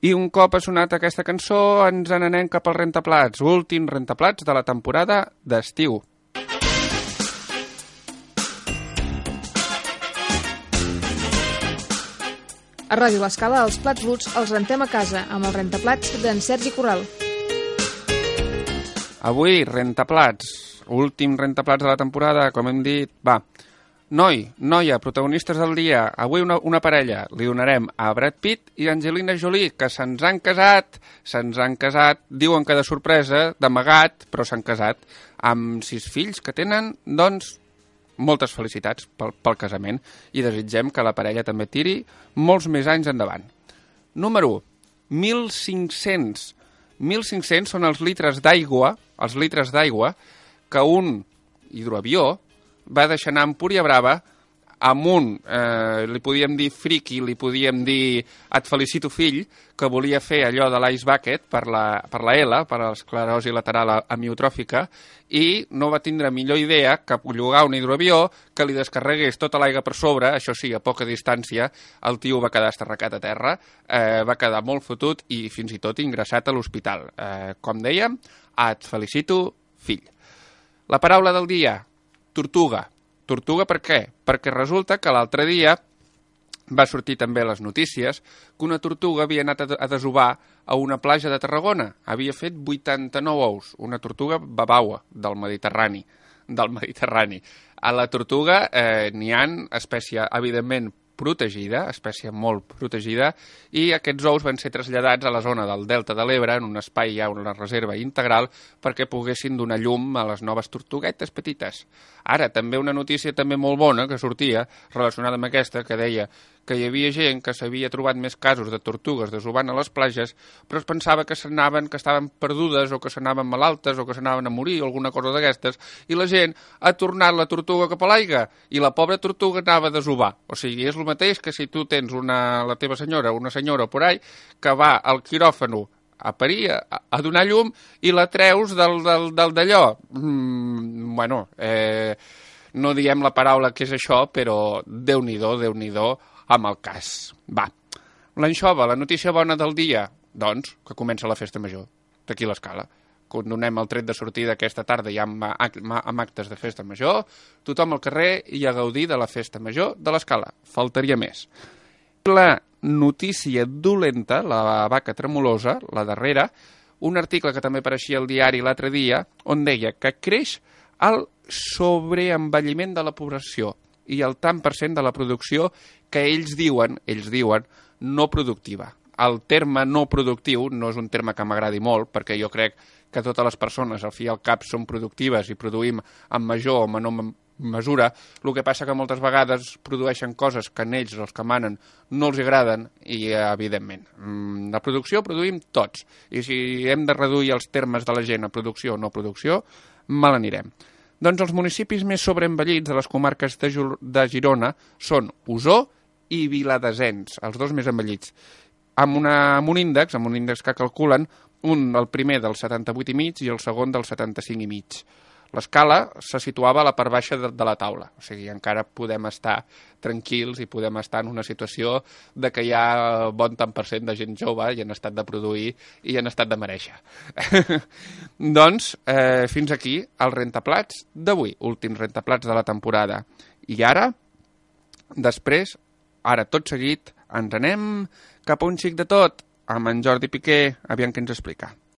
I un cop ha sonat aquesta cançó ens n'anem cap al rentaplats, últim rentaplats de la temporada d'estiu. A Ràdio L'Escala, els plats bruts els rentem a casa amb el rentaplats d'en Sergi Corral. Avui, rentaplats, últim rentaplats de la temporada, com hem dit. Va, noia, protagonistes del dia. Avui una parella. Li donarem a Brad Pitt i Angelina Jolie, que se'ns han casat, diuen que de sorpresa, d'amagat, però s'han casat, amb 6 fills que tenen, doncs, moltes felicitats pel casament i desitgem que la parella també tiri molts més anys endavant. Número 1. 1.500. 1.500 són els litres d'aigua que un hidroavió va deixar anar a Empúria Brava amb un, li podíem dir friqui, li podíem dir et felicito fill, que volia fer allò de l'ice bucket per la L, per l'esclerosi lateral amiotròfica, i no va tindre millor idea que llogar un hidroavió que li descarregués tota l'aigua per sobre, això sí, a poca distància, el tio va quedar esterracat a terra, va quedar molt fotut i fins i tot ingressat a l'hospital. Com dèiem, et felicito fill. La paraula del dia, tortuga. Tortuga per què? Perquè resulta que l'altre dia va sortir també a les notícies que una tortuga havia anat a desovar a una platja de Tarragona. Havia fet 89 ous, una tortuga babaua del Mediterrani. A la tortuga n'hi ha espècie, evidentment, protegida, espècie molt protegida, i aquests ous van ser traslladats a la zona del Delta de l'Ebre, en un espai ja, una reserva integral, perquè poguessin donar llum a les noves tortuguetes petites. Ara, també una notícia també molt bona que sortia, relacionada amb aquesta, que deia que hi havia gent que s'havia trobat més casos de tortugues desovant a les platges, però es pensava que estaven perdudes o que s'anaven malaltes o que s'anaven a morir o alguna cosa d'aquestes, i la gent ha tornat la tortuga cap a l'aigua i la pobra tortuga anava a desovar. O sigui, és el mateix que si tu tens la teva senyora, una senyora por ahí, que va al quiròfano a parir, a donar llum, i la treus del d'allò. No diem la paraula que és això, però Déu-n'hi-do amb el cas. Va, l'anxova, la notícia bona del dia, doncs, que comença la festa major, d'aquí l'Escala. Donem el tret de sortida aquesta tarda ja amb actes de festa major, tothom al carrer i a gaudir de la festa major de l'Escala. Faltaria més. La notícia dolenta, la vaca tremolosa, la darrera, un article que també apareixia al diari l'altre dia, on deia que creix el sobreenvelliment de la població i el tant per cent de la producció que ells diuen no productiva. El terme no productiu no és un terme que m'agradi molt, perquè jo crec que totes les persones, al fi i al cap, són productives i produïm en major o menor mesura. El que passa que moltes vegades produeixen coses que a ells, els que manen, no els agraden i, evidentment, la producció produïm tots. I si hem de reduir els termes de la gent a producció o no producció, mal anirem. Doncs els municipis més sobreenvellits de les comarques de Girona són Osor i Viladesens, els dos més envellits, amb un índex que calculen el primer del 78,5 i el segon del 75,5. L'escala se situava a la part baixa de la taula, o sigui, encara podem estar tranquils i podem estar en una situació de que hi ha bon tant per cent de gent jove i han estat de produir i han estat de mereixer. Doncs, fins aquí els rentaplats d'avui, últims rentaplats de la temporada. I ara, després, tot seguit, ens anem cap a un xic de tot, amb en Jordi Piqué, aviam què ens explica.